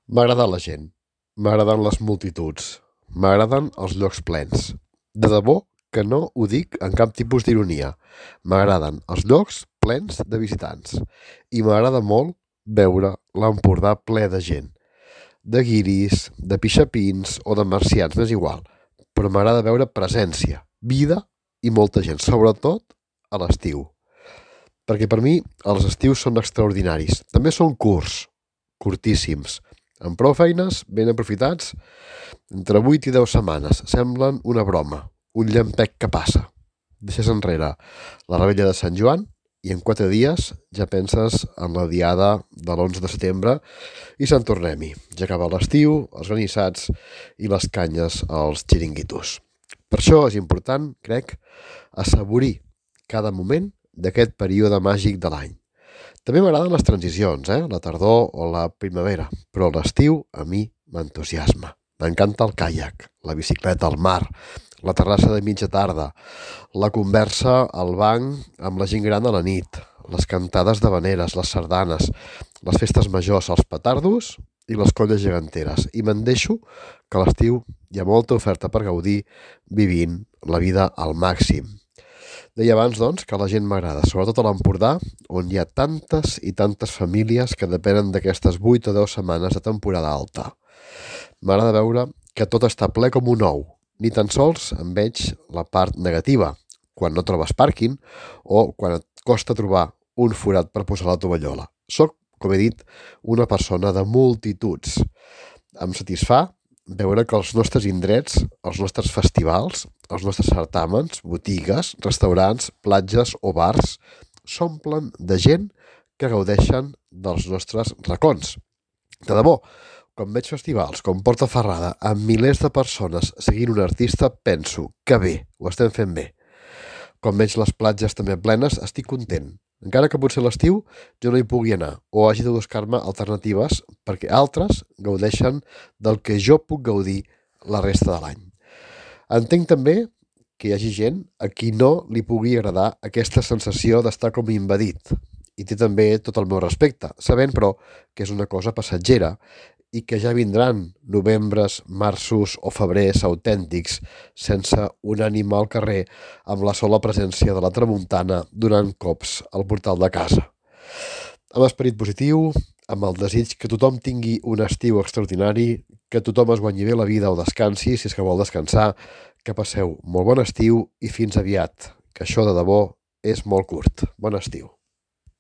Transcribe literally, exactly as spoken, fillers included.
M'agrada la gent, m'agraden les multituds, m'agraden els llocs plens. De debò que no ho dic en cap tipus d'ironia. M'agraden els llocs plens de visitants i m'agrada molt veure l'Empordà ple de gent. De guiris, de pixapins o de marcians, m'és igual, però m'agrada veure presència, vida i molta gent, sobretot a l'estiu. Perquè per mi els estius són extraordinaris. També són curts, curtíssims, amb prou feines, ben aprofitats, entre vuit i deu setmanes. Semblen una broma, un llampec que passa. Deixes enrere la rebella de Sant Joan i en quatre dies ja penses en la diada de l'onze de setembre i Sant Tornem-hi. Ja acaba l'estiu, els granissats i les canyes als xiringuitos. Per això és important, crec, assaborir cada moment d'aquest període màgic de l'any. També m'agraden les transicions, eh? La tardor o la primavera, però l'estiu a mi m'entusiasma. M'encanta el caiac, la bicicleta al mar, la terrassa de mitja tarda, la conversa al banc amb la gent gran a la nit, les cantades d'havaneres, les sardanes, les festes majors, els petardos i les colles geganteres. I me'n deixo que a l'estiu hi ha molta oferta per gaudir vivint la vida al màxim. Deia abans, doncs, que la gent m'agrada, sobretot a l'Empordà, on hi ha tantes i tantes famílies que depenen d'aquestes vuit o deu setmanes de temporada alta. M'agrada veure que tot està ple com un ou. Ni tan sols en veig la part negativa, quan no trobes pàrquing o quan et costa trobar un forat per posar la tovallola. Soc, com he dit, una persona de multituds. Em satisfà veure que els nostres indrets, els nostres festivals, els nostres certàmens, botigues, restaurants, platges o bars s'omplen de gent que gaudeixen dels nostres racons. De debò, quan veig festivals com Portaferrada amb milers de persones seguint un artista, penso que bé, ho estem fent bé. Quan veig les platges també plenes, estic content. Encara que potser a l'estiu jo no hi pugui anar o hagi de buscar-me alternatives perquè altres gaudeixen del que jo puc gaudir la resta de l'any. Entenc també que hi hagi gent a qui no li pugui agradar aquesta sensació d'estar com invadit i té també tot el meu respecte, sabent però que és una cosa passatgera i que ja vindran novembres, marços o febrers autèntics sense un ànima al carrer amb la sola presència de la tramuntana donant cops al portal de casa. Amb esperit positiu, amb el desig que tothom tingui un estiu extraordinari, que tothom es guanyi bé la vida o descansi, si és que vol descansar, que passeu molt bon estiu i fins aviat, que això de debò és molt curt. Bon estiu.